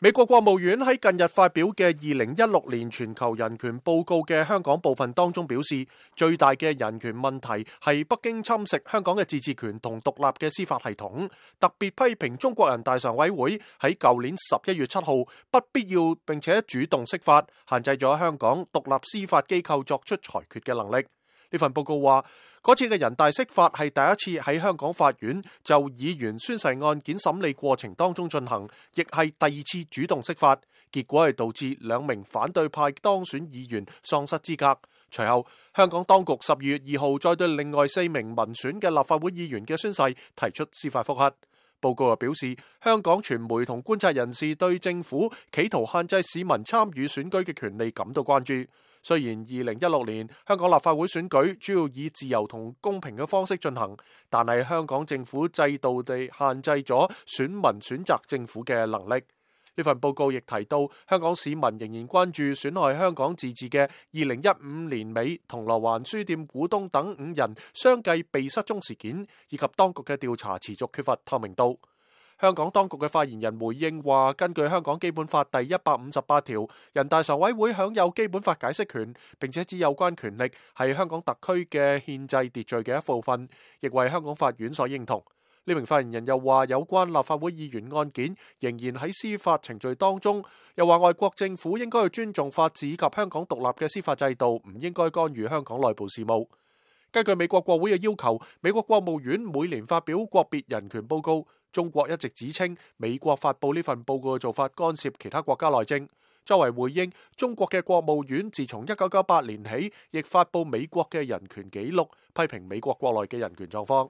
美國國務院喺近日發表嘅2016年全球人權報告嘅香港部分當中表示，最大嘅人權問題係北京侵蝕香港嘅自治權同獨立嘅司法系統，特別批評中國人大常委會喺舊年11月7號不必要並且主動釋法，限制咗香港獨立司法機構作出裁決嘅能力。呢份報告話，嗰次嘅人大釋法係第一次喺香港法院就議員宣誓案件審理過程當中進行，亦係第二次主動釋法，結果係導致2名反對派當選議員喪失資格。隨後，香港當局12月2號再對另外4名民選嘅立法會議員嘅宣誓提出司法覆核。報告又表示，香港傳媒同觀察人士對政府企圖限制市民參與選舉嘅權利感到關注。雖然2016年香港立法會選舉主要以自由同公平嘅方式進行，但係香港政府制度地限制咗選民選擇政府嘅能力。呢份報告亦提到，香港市民仍然關注損害香港自治嘅2015年尾銅鑼灣書店股東等5人相繼被失蹤事件，以及當局嘅調查持續缺乏透明度。香港當局嘅發言人回應話，根據香港基本法第158條，人大常委會享有基本法解釋權，並且指有關權力係香港特區嘅憲制秩序嘅一部分，亦為香港法院所認同。呢名發言人又話，有關立法會議員案件仍然喺司法程序當中，又話外國政府應該去尊重法治以及香港獨立嘅司法制度，唔應該干預香港內部事務。根據美國國會嘅要求，美國國務院每年發表國別人權報告。中國一直指稱美國發佈呢份報告嘅做法干涉其他國家內政。作為回應，中國嘅國務院自從1998年起，亦發佈美國嘅人權紀錄，批評美國國內嘅人權狀況。